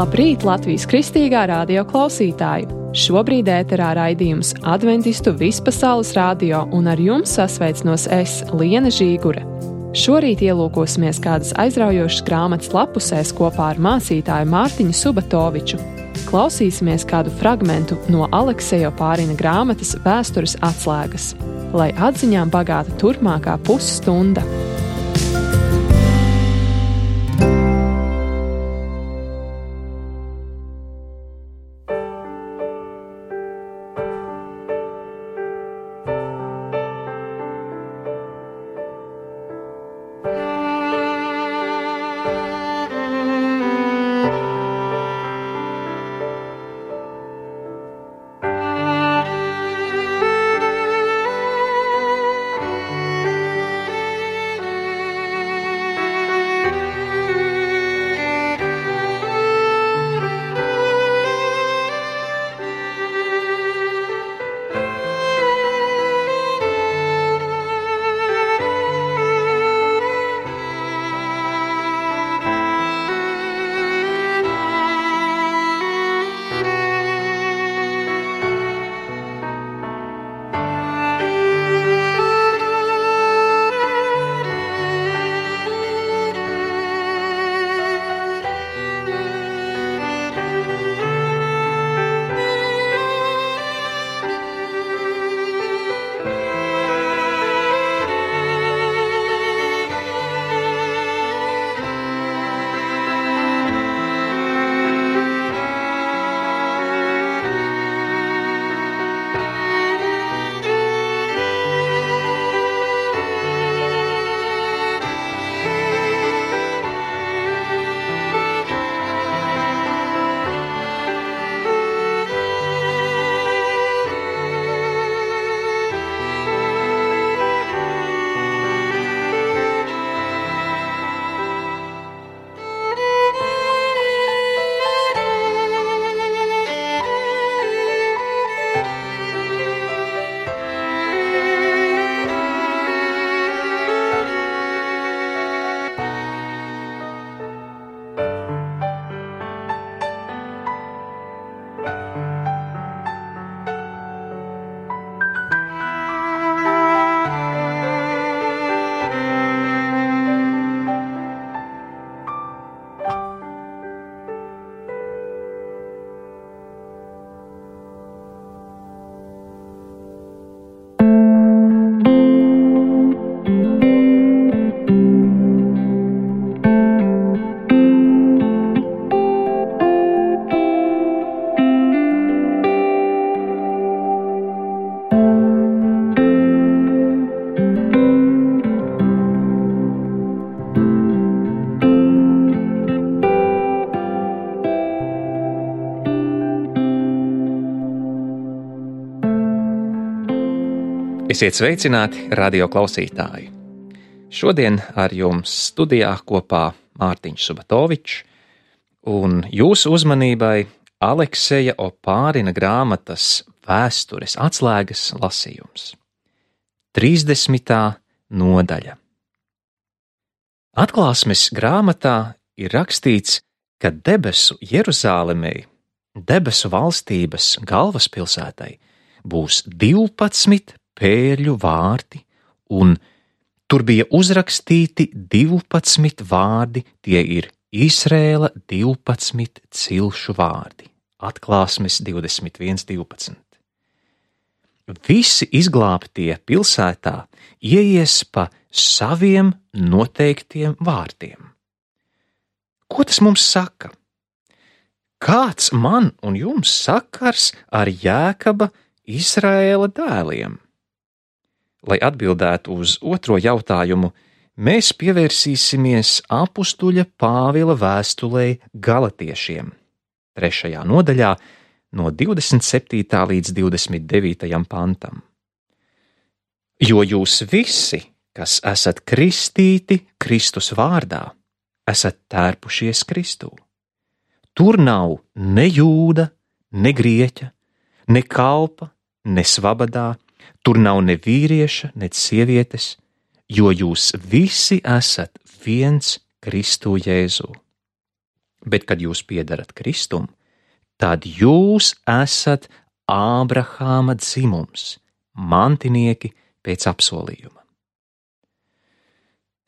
Labrīt, Latvijas Kristīgā radio klausītāji! Šobrīd ēterā raidījums Adventistu Vispasaules radio un ar jums sasveicinos es, Liene Žīgure. Šorīt ielūkosimies kādas aizraujošas grāmatas lapusēs kopā ar mācītāju Mārtiņu Subatoviču. Klausīsimies kādu fragmentu no Alekseja Opārina grāmatas Vēstures atslēgas, lai atziņām bagāta turpmākā pusstunda. Esiet sveicināti, radio klausītāji! Šodien ar jums studijā kopā Mārtiņš Subatovičs un jūsu uzmanībai Alekseja Opārina grāmatas Vēstures atslēgas lasījums. 30. nodaļa. Atklāsmes grāmatā ir rakstīts, ka debesu Jeruzālemei, debesu valstības galvaspilsētai, būs 12 pērļu vārti, un tur bija uzrakstīti 12 vārdi, tie ir Izrēla 12 cilšu vārdi. Atklāsmes 21.12. Visi izglābtie pilsētā ieies pa saviem noteiktiem vārtiem. Ko tas mums saka? Kāds man un jums sakars ar Jēkaba Izraēla dēliem? Lai atbildētu uz otro jautājumu, mēs pievērsīsimies apustuļa Pāvila vēstulei Galatiešiem, 3. nodaļā no 27. līdz 29. pantam. Jo jūs visi, kas esat kristīti Kristus vārdā, esat tērpušies Kristū. Tur nav ne jūda, ne grieķa, ne kalpa, ne svabadā, tur nav ne vīrieša, ne sievietes, jo jūs visi esat viens Kristu Jēzū. Bet, kad jūs piedarat Kristum, tad jūs esat Ābrahāma dzimums, mantinieki pēc apsolījuma.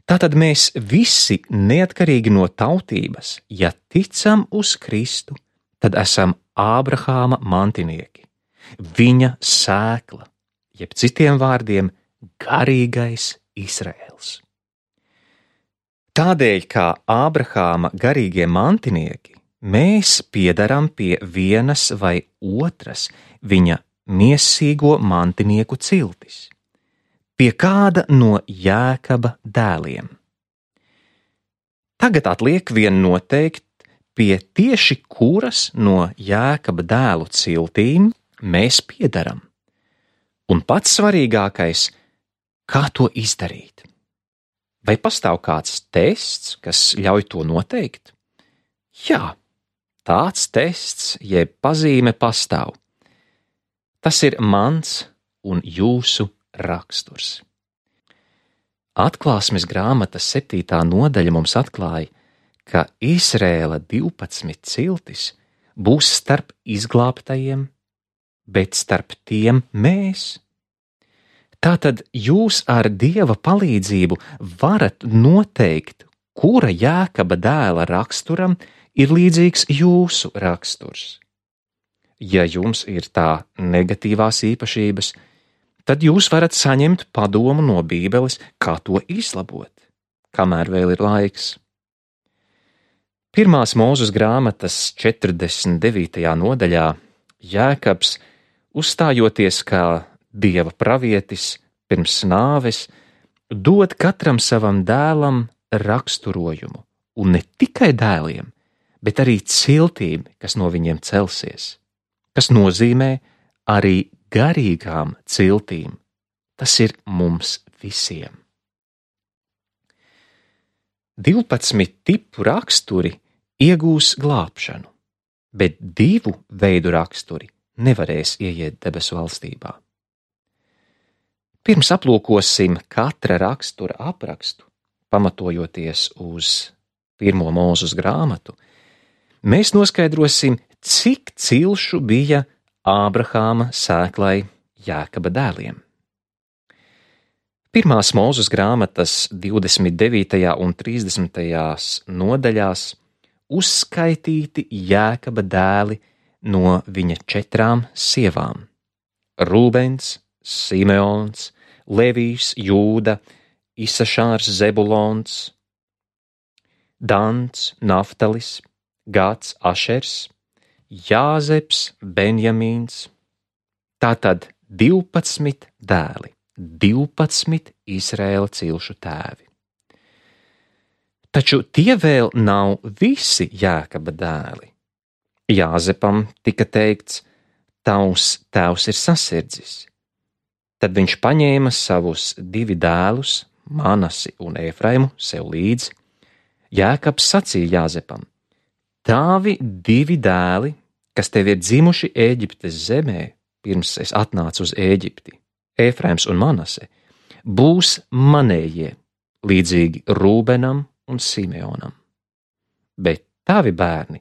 Tātad mēs visi, neatkarīgi no tautības, ja ticam uz Kristu, tad esam Ābrahāma mantinieki, viņa sēkla, jeb citiem vārdiem garīgais Izraēls. Tādēļ, kā Ābrahāma garīgie mantinieki, mēs piedaram pie vienas vai otras viņa miesīgo mantinieku ciltis, pie kāda no Jēkaba dēliem. Tagad atliek vien noteikt, pie tieši kuras no Jēkaba dēlu ciltīm mēs piedaram. Un pats svarīgākais, kā to izdarīt? Vai pastāv kāds tests, kas ļauj to noteikt? Jā, tāds tests jeb pazīme pastāv. Tas ir mans un jūsu raksturs. Atklāsmes grāmatas 7. nodaļa mums atklāja, ka Izrēla 12 ciltis būs starp izglābtajiem, bet starp tiem mēs. Tātad jūs ar Dieva palīdzību varat noteikt, kura Jēkaba dēla raksturam ir līdzīgs jūsu raksturs. Ja jums ir tā negatīvās īpašības, tad jūs varat saņemt padomu no Bībeles, kā to izlabot, kamēr vēl ir laiks. 1. Mūzes grāmatas 49. nodaļā Jēkabs, uzstājoties kā Dieva pravietis pirms nāves, dod katram savam dēlam raksturojumu, un ne tikai dēliem, bet arī ciltīm, kas no viņiem celsies, kas nozīmē arī garīgām ciltīm. Tas ir mums visiem. 12 tipu raksturi iegūs glābšanu, bet 2 veidu raksturi nevarēs ieiet debesu valstībā. Pirms aplūkosim katra rakstura aprakstu, pamatojoties uz 1. Mūzes grāmatu, mēs noskaidrosim, cik cilšu bija Ābrahāma sēklai Jēkaba dēliem. 1. Mūzes grāmatas 29. un 30. nodaļās uzskaitīti Jēkaba dēli no viņa 4 sievām – Rūbens, Simeons, Levijs, Jūda, Isašārs, Zebulons, Dans, Naftalis, Gāds, Ašers, Jāzeps, Benjamīns. Tātad 12 dēli, 12 Izraēla cilšu tēvi. Taču tie vēl nav visi Jēkaba dēli. Jāzepam tika teikts, tavs tēvs ir sasirdzis. Tad viņš paņēma savus 2 dēlus, Manasi un Efraimu, sev līdzi. Jēkabs sacīja Jāzepam, tavi 2 dēli, kas tev ir dzimuši Ēģiptes zemē, pirms es atnācu uz Ēģipti, Efraims un Manase, būs manējie, līdzīgi Rūbenam un Simeonam. Bet tavi bērni,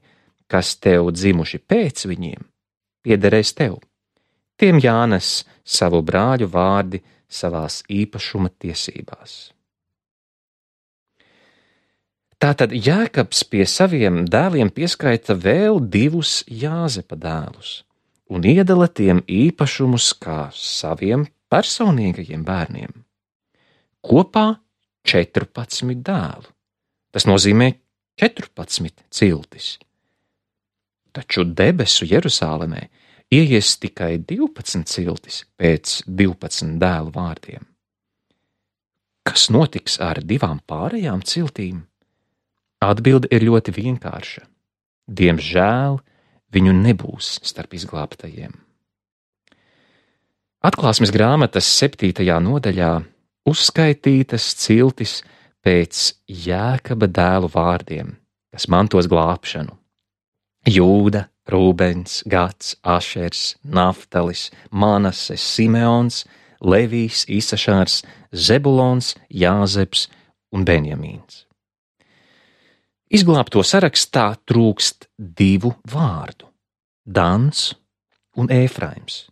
kas tev dzimuši pēc viņiem, piederēs tev. Tiem jānes savu brāļu vārdi savās īpašuma tiesībās. Tātad Jēkabs pie saviem dēliem pieskaita vēl 2 Jāzepa dēlus un iedala tiem īpašumus kā saviem personīgajiem bērniem. Kopā 14 dēlu. Tas nozīmē 14 ciltis. Taču debesu Jeruzālemē ieies tikai 12 ciltis pēc 12 dēlu vārdiem. Kas notiks ar 2 pārējām ciltīm? Atbilde ir ļoti vienkārša. Diemžēl viņu nebūs starp izglābtajiem. Atklāsmes grāmatas 7. nodaļā uzskaitītas ciltis pēc Jēkaba dēlu vārdiem, kas mantos glābšanu. Jūda, Rūbens, Gads, Ašers, Naftalis, Manase, Simeons, Levijs, Isašārs, Zebulons, Jāzeps un Benjamīns. Izglābto sarakstā trūkst 2 vārdu – Dans un Ēfraims.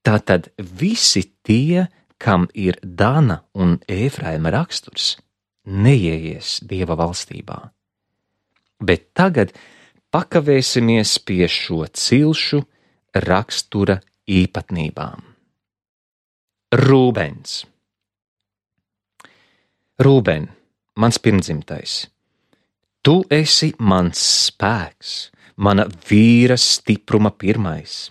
Tātad visi tie, kam ir Dana un Ēfraima raksturs, neieies Dieva valstībā. Bet tagad pakavēsimies pie šo cilšu rakstura īpatnībām. Rūbens. Rūben, mans pirmdzimtais, tu esi mans spēks, mana vīra stipruma pirmais,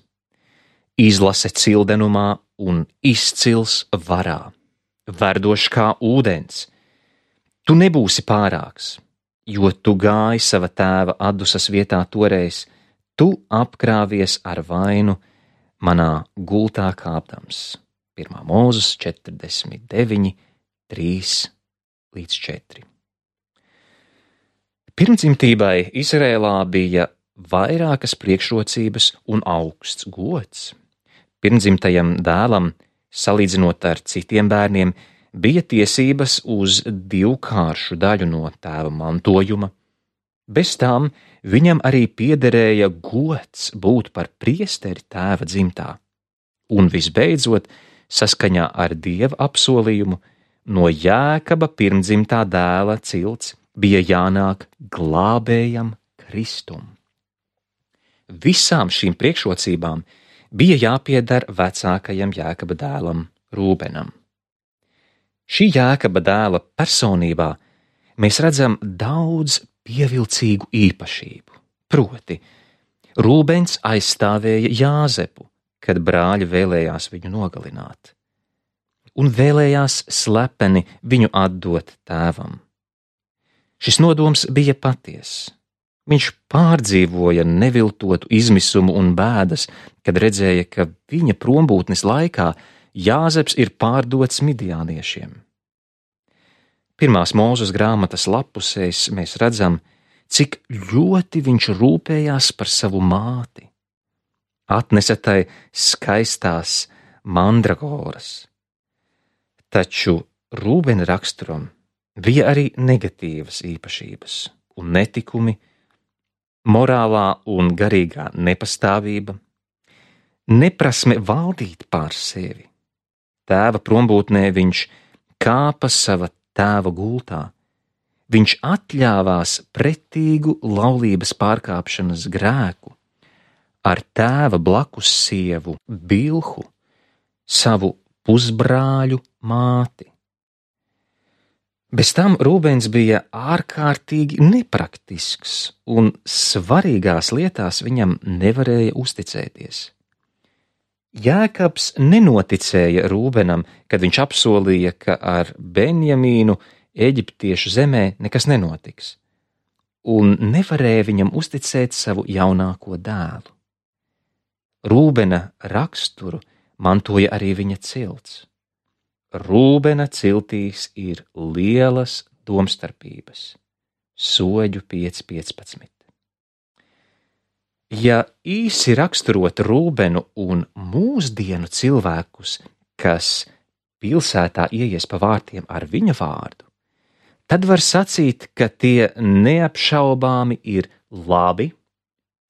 izlase cildenumā un izcils varā, verdošs kā ūdens. Tu nebūsi pārāks, jo tu gāji sava tēva Adusas vietā toreiz, tu apkrāvies ar vainu manā gultā kāpdams. 1. Mūzes 49, 3-4. Pirmdzimtībai Izrēlā bija vairākas priekšrocības un augsts gods. Pirmdzimtajam dēlam, salīdzinot ar citiem bērniem, bija tiesības uz 2 daļu no tēva mantojuma. Bez tām viņam arī piederēja gods būt par priesteri tēva dzimtā. Un visbeidzot, saskaņā ar Dieva apsolījumu, no Jēkaba pirmdzimtā dēla cilts bija jānāk glābējam Kristum. Visām šīm priekšrocībām bija jāpieder vecākajam Jēkaba dēlam Rūbenam. Šī Jēkaba dēla personībā mēs redzam daudz pievilcīgu īpašību. Proti, Rūbens aizstāvēja Jāzepu, kad brāļi vēlējās viņu nogalināt, un vēlējās slepeni viņu atdot tēvam. Šis nodoms bija patiess. Viņš pārdzīvoja neviltotu izmisumu un bēdas, kad redzēja, ka viņa prombūtnes laikā Jāzeps ir pārdots midjāniešiem. 1. Mūzes grāmatas lapusēs mēs redzam, cik ļoti viņš rūpējās par savu māti. Atnesa tai skaistās mandragoras. Taču Rūbena raksturam bija arī negatīvas īpašības un netikumi, morālā un garīgā nepastāvība, neprasme valdīt pār sevi. Tēva prombūtnē viņš kāpa sava tēva gultā. Viņš atļāvās pretīgu laulības pārkāpšanas grēku ar tēva blakus sievu Bilhu, savu pusbrāļu māti. Bez tam Rūbens bija ārkārtīgi nepraktisks un svarīgās lietās viņam nevarēja uzticēties. Jēkabs nenoticēja Rūbenam, kad viņš apsolīja, ka ar Benjamīnu Eģiptiešu zemē nekas nenotiks, un nevarēja viņam uzticēt savu jaunāko dēlu. Rūbena raksturu mantoja arī viņa cilts. Rūbena ciltīs ir lielas domstarpības. Soļu 5.15. Ja īsi raksturot Rūbenu un mūsdienu cilvēkus, kas pilsētā ieies pa vārtiem ar viņa vārdu, tad var sacīt, ka tie neapšaubāmi ir labi,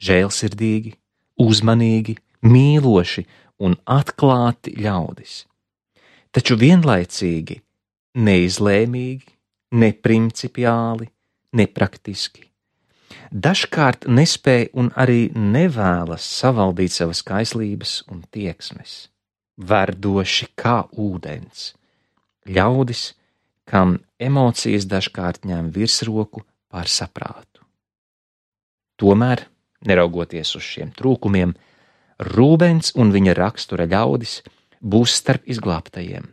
žēlsirdīgi, uzmanīgi, mīloši un atklāti ļaudis. Taču vienlaicīgi neizlēmīgi, neprincipiāli, nepraktiski. Dažkārt nespēj un arī nevēlas savaldīt savas kaislības un tieksmes, verdoši kā ūdens, ļaudis, kam emocijas dažkārt ņem virsroku pār saprātu. Tomēr, neraugoties uz šiem trūkumiem, Rūbens un viņa rakstura ļaudis būs starp izglābtajiem,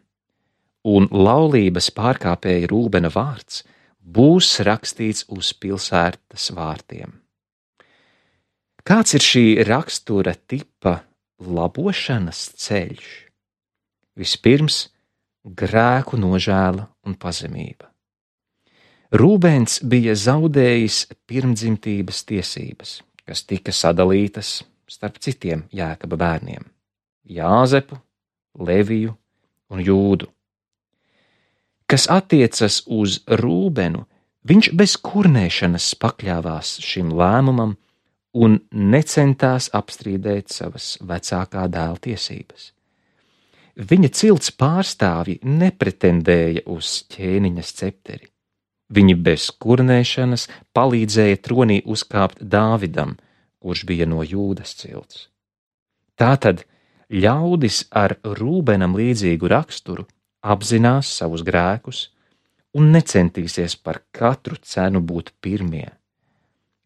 un laulības pārkāpēja Rūbena vārds būs rakstīts uz pilsētas vārtiem. Kāds ir šī rakstura tipa labošanas ceļš? Vispirms grēku nožēla un pazemība. Rūbens bija zaudējis pirmdzimtības tiesības, kas tika sadalītas starp citiem Jēkaba bērniem – Jāzepu, Leviju un Jūdu. Kas attiecas uz Rūbenu, Viņš bez kurnēšanas pakļāvās šim lēmumam un necentās apstrīdēt savas vecākā dēla tiesības. Viņa cilts pārstāvji nepretendēja uz ķēniņa scepteri. Viņi bez kurnēšanas palīdzēja tronī uzkāpt Dāvidam, kurš bija no Jūdas cilts. Tātad ļaudis ar Rūbenam līdzīgu raksturu apzinās savus grēkus un necentīsies par katru cenu būt pirmie.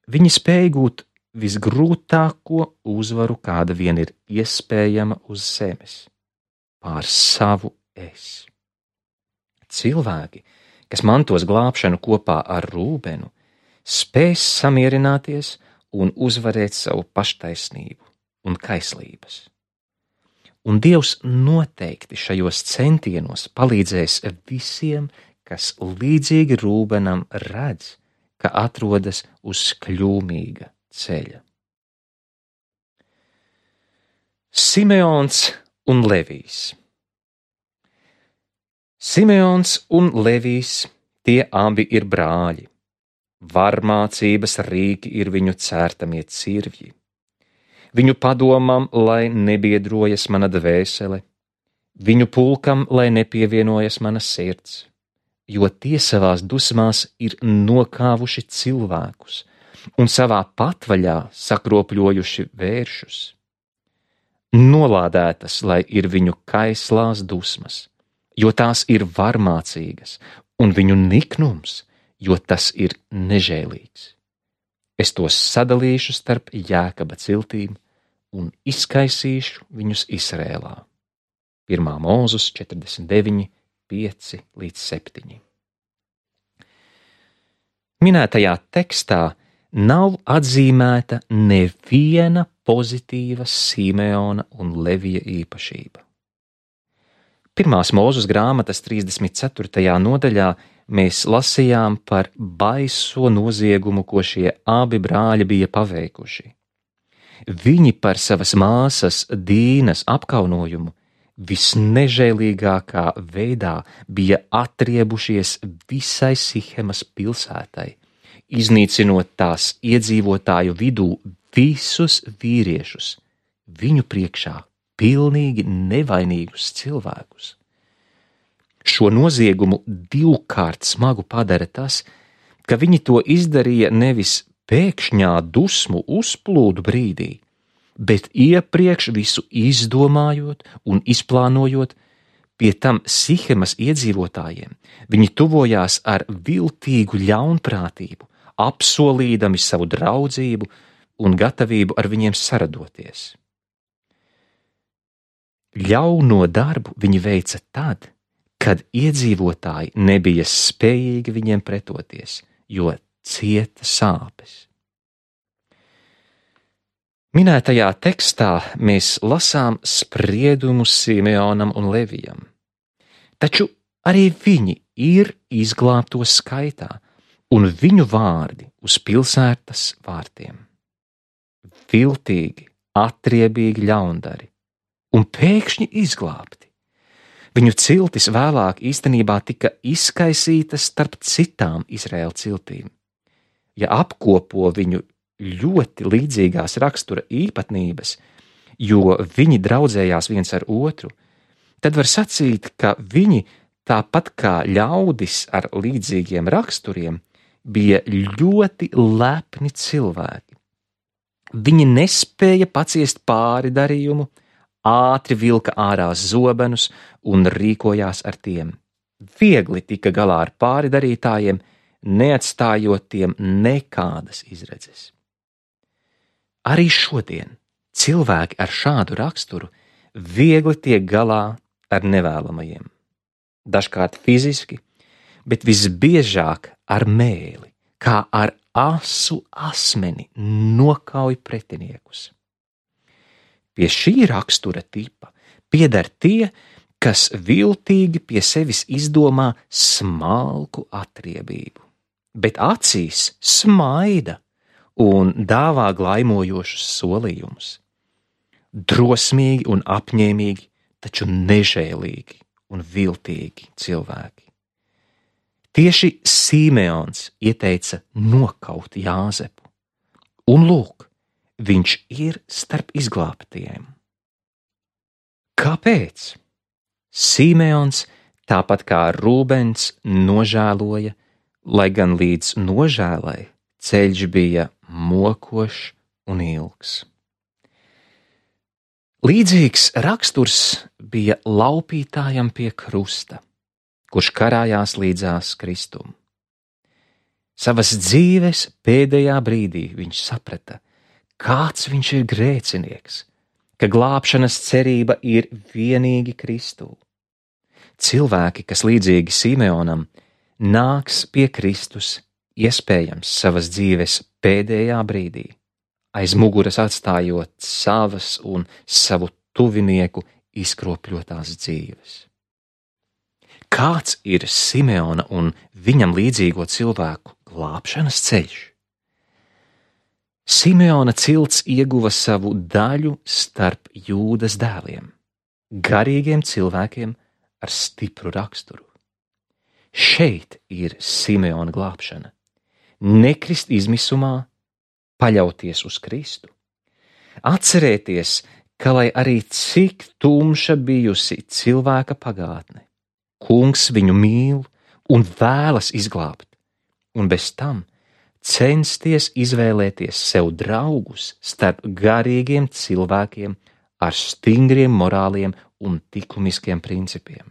Viņi spēj gūt visgrūtāko uzvaru, kāda vien ir iespējama uz zemes, pār savu es. Cilvēki, kas mantos glābšanu kopā ar Rūbenu, spēs samierināties un uzvarēt savu paštaisnību un kaislības. Un Dievs noteikti šajos centienos palīdzēs visiem, kas līdzīgi Rūbenam redz, ka atrodas uz kļūmīga ceļa. Simeons un Levijs. Simeons un Levijs, tie abi ir brāļi. Varmācības rīki ir viņu cērtamie cirvji. Viņu padomam, lai nebiedrojas mana dvēsele, viņu pulkam, lai nepievienojas mana sirds, jo tie savās dusmās ir nokāvuši cilvēkus un savā patvaļā sakropļojuši vēršus. Nolādētas, lai ir viņu kaislās dusmas, jo tās ir varmācīgas, un viņu niknums, jo tas ir nežēlīgs. Es tos sadalīšu starp Jēkaba ciltīm un izkaisīšu viņus Izrēlā. 1. Mūzes 49, 5-7. Minētajā tekstā nav atzīmēta neviena pozitīva Simeona un Levija īpašība. 1. Mūzes grāmatas 34. nodaļā mēs lasījām par baiso noziegumu, ko šie abi brāļi bija paveikuši. Viņi par savas māsas Dīnas apkaunojumu visnežēlīgākā veidā bija atriebušies visai Sihemas pilsētai, iznīcinot tās iedzīvotāju vidū visus vīriešus, viņu priekšā pilnīgi nevainīgus cilvēkus. Šo noziegumu divkārt smagu padara tas, ka viņi to izdarīja nevis pēkšņā dusmu uzplūdu brīdī, bet iepriekš visu izdomājot un izplānojot, pie tam Sihemas iedzīvotājiem. Viņi tuvojās ar viltīgu ļaunprātību, apsolīdami savu draudzību un gatavību ar viņiem saradoties. Ļauno darbu viņi veica tad, kad iedzīvotāji nebija spējīgi viņiem pretoties, jo cieta sāpes. Minētajā tekstā mēs lasām spriedumus Simeonam un Levijam, taču arī viņi ir izglābto skaitā, un viņu vārdi uz pilsētas vārtiem. Viltīgi, atriebīgi ļaundari un pēkšņi izglābti. Viņu ciltis vēlāk īstenībā tika izkaisītas starp citām Izraēla ciltīm. Ja apkopo viņu ļoti līdzīgās rakstura īpatnības, jo viņi draudzējās viens ar otru, tad var sacīt, ka viņi, tāpat kā ļaudis ar līdzīgiem raksturiem, bija ļoti lepni cilvēki. Viņi nespēja paciest pāri darījumu, ātri vilka ārā zobenus un rīkojās ar tiem. Viegli tika galā ar pāri darītājiem, neatstājot tiem nekādas izredzes. Arī šodien cilvēki ar šādu raksturu viegli tiek galā ar nevēlamajiem. Dažkārt fiziski, bet visbiežāk ar mēli, kā ar asu asmeni nokauj pretiniekus. Pie šī rakstura tipa pieder tie, kas viltīgi pie sevis izdomā smalku atriebību, bet acīs smaida un dāvā glaimojošus solījumus. Drosmīgi un apņēmīgi, taču nežēlīgi un viltīgi cilvēki. Tieši Simeons ieteica nokaut Jāzepu. Un lūk, viņš ir starp izglābtajiem. Kāpēc? Simeons, tāpat kā Rūbens, nožēloja, lai gan līdz nožēlai ceļš bija mokošs un ilgs. Līdzīgs raksturs bija laupītājam pie krusta, kurš karājās līdzās Kristum. Savas dzīves pēdējā brīdī viņš saprata, kāds viņš ir grēcinieks, ka glābšanas cerība ir vienīgi Kristū. Cilvēki, kas līdzīgi Simeonam, nāks pie Kristus, iespējams savas dzīves pēdējā brīdī, aiz muguras atstājot savas un savu tuvinieku izkropļotās dzīves. Kāds ir Simeona un viņam līdzīgo cilvēku glābšanas ceļš? Simeona cilts ieguva savu daļu starp Jūdas dēliem, garīgiem cilvēkiem ar stipru raksturu. Šeit ir Simeona glābšana. Nekrist izmisumā, paļauties uz Kristu. Atcerēties, ka lai arī cik tumša bijusi cilvēka pagātne, Kungs viņu mīl un vēlas izglābt, un bez tam censties izvēlēties sev draugus starp garīgiem cilvēkiem ar stingriem morāliem un likumiskiem principiem.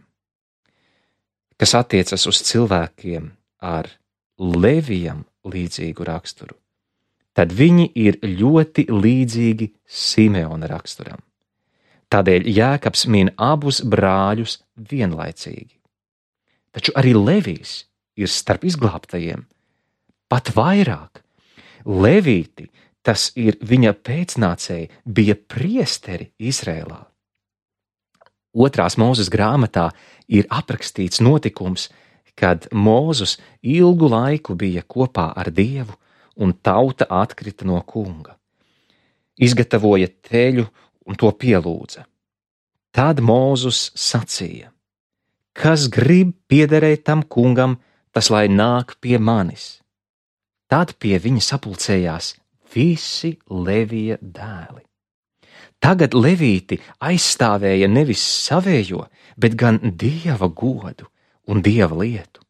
Kas attiecas uz cilvēkiem ar Levijam līdzīgu raksturu, tad viņi ir ļoti līdzīgi Simeona raksturam. Tādēļ Jēkabs min abus brāļus vienlaicīgi. Taču arī Levijs ir starp izglābtajiem. Pat vairāk, Levīti, tas ir viņa pēcnācēji, bija priesteri Izrēlā. 2. Mūzes grāmatā ir aprakstīts notikums, kad Mūzes ilgu laiku bija kopā ar Dievu un tauta atkrita no kunga. Izgatavoja teļu un to pielūdza. Tad Mūzes sacīja: kas grib piederēt tam kungam, tas lai nāk pie manis. Tad pie viņa sapulcējās visi Levija dēli. Tagad Levīti aizstāvēja nevis savējo, bet gan Dieva godu un Dieva lietu,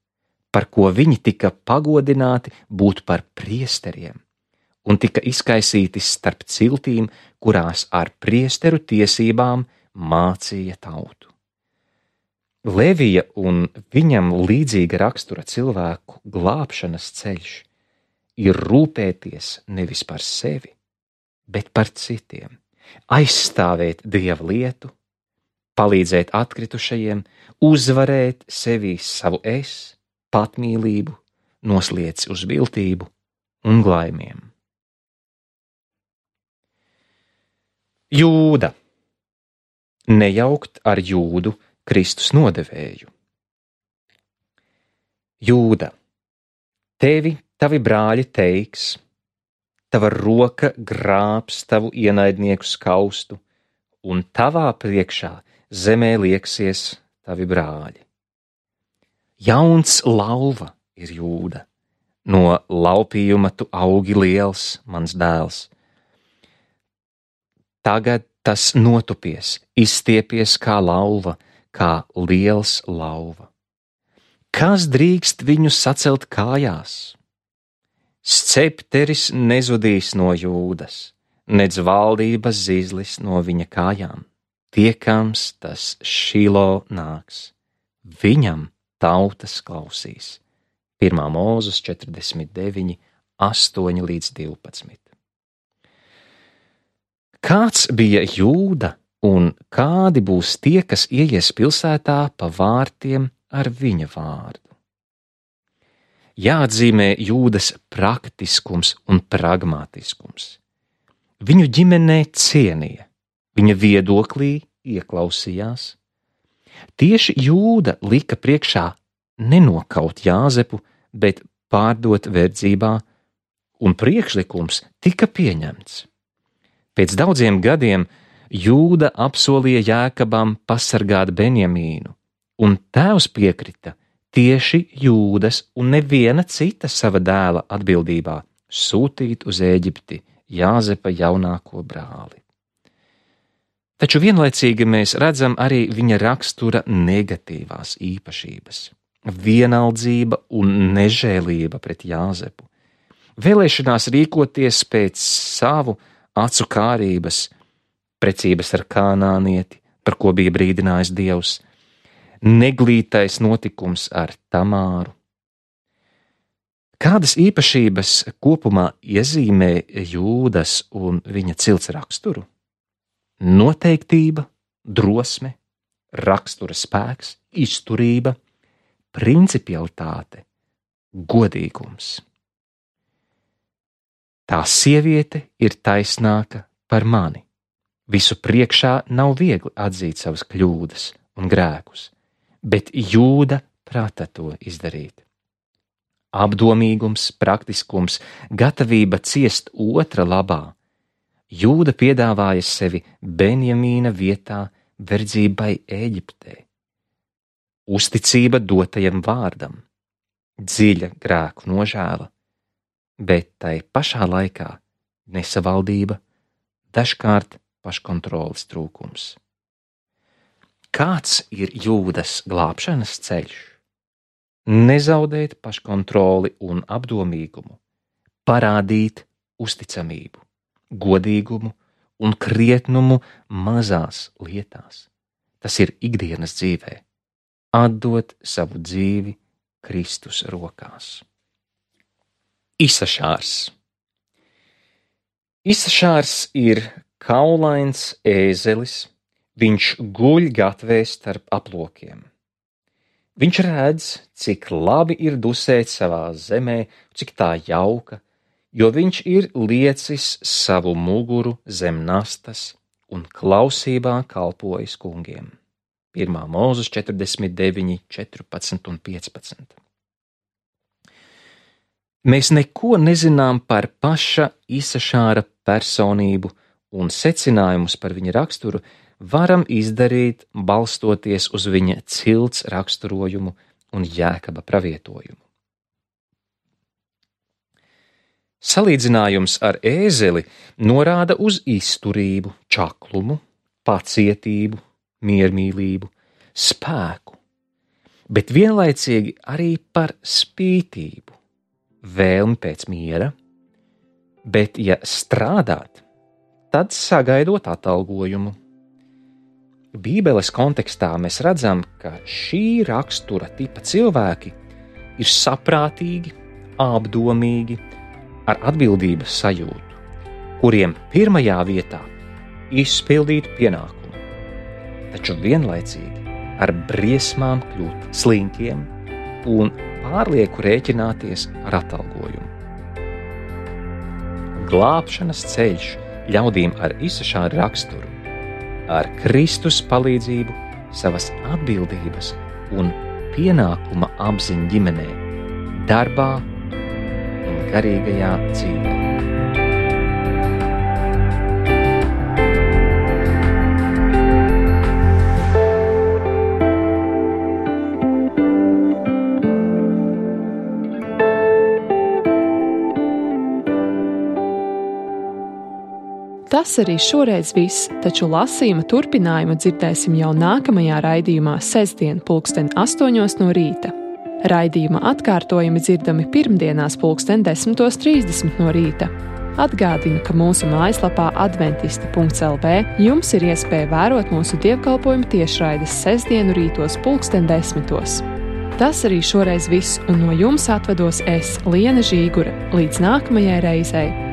par ko viņi tika pagodināti būt par priesteriem un tika izkaisīti starp ciltīm, kurās ar priesteru tiesībām mācīja tautu. Levija un viņam līdzīga rakstura cilvēku glābšanas ceļš ir rūpēties nevis par sevi, bet par citiem, aizstāvēt Dieva lietu, palīdzēt atkritušajiem, uzvarēt sevī savu es, patmīlību, noslieci uz viltību un glaimiem. Jūda. Nejaukt ar Jūdu Kristus nodevēju. Jūda, tevi tavi brāļi teiks, tava roka grābs tavu ienaidnieku skaustu, un tavā priekšā zemē lieksies tavi brāļi. Jauns lauva ir Jūda, no laupījuma tu augi liels, mans dēls. Tagad tas notupies, izstiepies kā lauva, kā liels lauva. Kas drīkst viņu sacelt kājās? Scepteris nezudīs no Jūdas, nedz valdības zīzlis no viņa kājām. Tiekams tas Šilo nāks, viņam tautas klausīs. 1. Mūzes 49, 8-12. Kāds bija Jūda un kādi būs tie, kas ieies pilsētā pa vārtiem ar viņa vārdu? Jāatzīmē Jūdas praktiskums un pragmatiskums. Viņu ģimenē cienīja, viņa viedoklī ieklausījās. Tieši Jūda lika priekšā nenokaut Jāzepu, bet pārdot verdzībā, un priekšlikums tika pieņemts. Pēc daudziem gadiem Jūda apsolīja Jēkabam pasargāt Benjamīnu, un tēvs piekrita, tieši Jūdas un neviena cita sava dēla atbildībā sūtīt uz Ēģipti Jāzepa jaunāko brāli. Taču vienlaicīgi mēs redzam arī viņa rakstura negatīvās īpašības – vienaldzība un nežēlība pret Jāzepu, vēlēšanās rīkoties pēc savu acu kārības, precības ar Kānānieti, par ko bija brīdinājis Dievs, neglītais notikums ar Tamāru. Kādas īpašības kopumā iezīmē Jūdas un viņa cilts raksturu? Noteiktība, drosme, rakstura spēks, izturība, principialitāte, godīgums. Tā sieviete ir taisnāka par mani. Visu priekšā nav viegli atzīt savas kļūdas un grēkus, bet Jūda prata to izdarīt. Apdomīgums, praktiskums, gatavība ciest otra labā. Jūda piedāvāja sevi Benjamīna vietā verdzībai Ēģiptē. Uzticība dotajam vārdam, dziļa grēku nožēla, bet tai pašā laikā nesavaldība, dažkārt paškontroles trūkums. Kāds ir Jūdas glābšanas ceļš? Nezaudēt paškontroli un apdomīgumu, parādīt uzticamību, godīgumu un krietnumu mazās lietās. Tas ir ikdienas dzīvē. Atdot savu dzīvi Kristus rokās. Isašārs. Isašārs ir kaulains ēzelis, viņš guļ gatvē starp aplokiem. Viņš redz, cik labi ir dusēt savā zemē, cik tā jauka, jo viņš ir liecis savu muguru zem nastas un klausībā kalpojis kungiem. 1. Mūzes 49, 14 un 15. Mēs neko nezinām par paša Isašāra personību un secinājumus par viņa raksturu varam izdarīt, balstoties uz viņa cilts raksturojumu un Jēkaba pravietojumu. Salīdzinājums ar ēzeli norāda uz izturību, čaklumu, pacietību, miermīlību, spēku, bet vienlaicīgi arī par spītību, vēlmi pēc miera, bet ja strādāt, tad sagaidot atalgojumu. Bībeles kontekstā mēs redzam, ka šī rakstura tipa cilvēki ir saprātīgi, apdomīgi, ar atbildības sajūtu, kuriem pirmajā vietā izpildīt pienākumu, taču vienlaicīgi ar briesmām kļūt slinkiem un pārlieku rēķināties ar atalgojumu. Glābšanas ceļš ļaudīm ar Isašāra raksturu, ar Kristus palīdzību savas atbildības un pienākuma apziņu ģimenē, darbā un garīgajā dzīvē. Tas arī šoreiz viss, taču lasījuma turpinājumu dzirdēsim jau nākamajā raidījumā sestdien 8:00 no rīta. Raidījuma atkārtojumi dzirdami pirmdienās 10:30 no rīta. Atgādinu, ka mūsu mājaslapā adventisti.lv jums ir iespēja vērot mūsu dievkalpojumu tiešraides sestdienu rītos 10:10. Tas arī šoreiz viss, un no jums atvados es, Liena Žīgure. Līdz nākamajai reizei!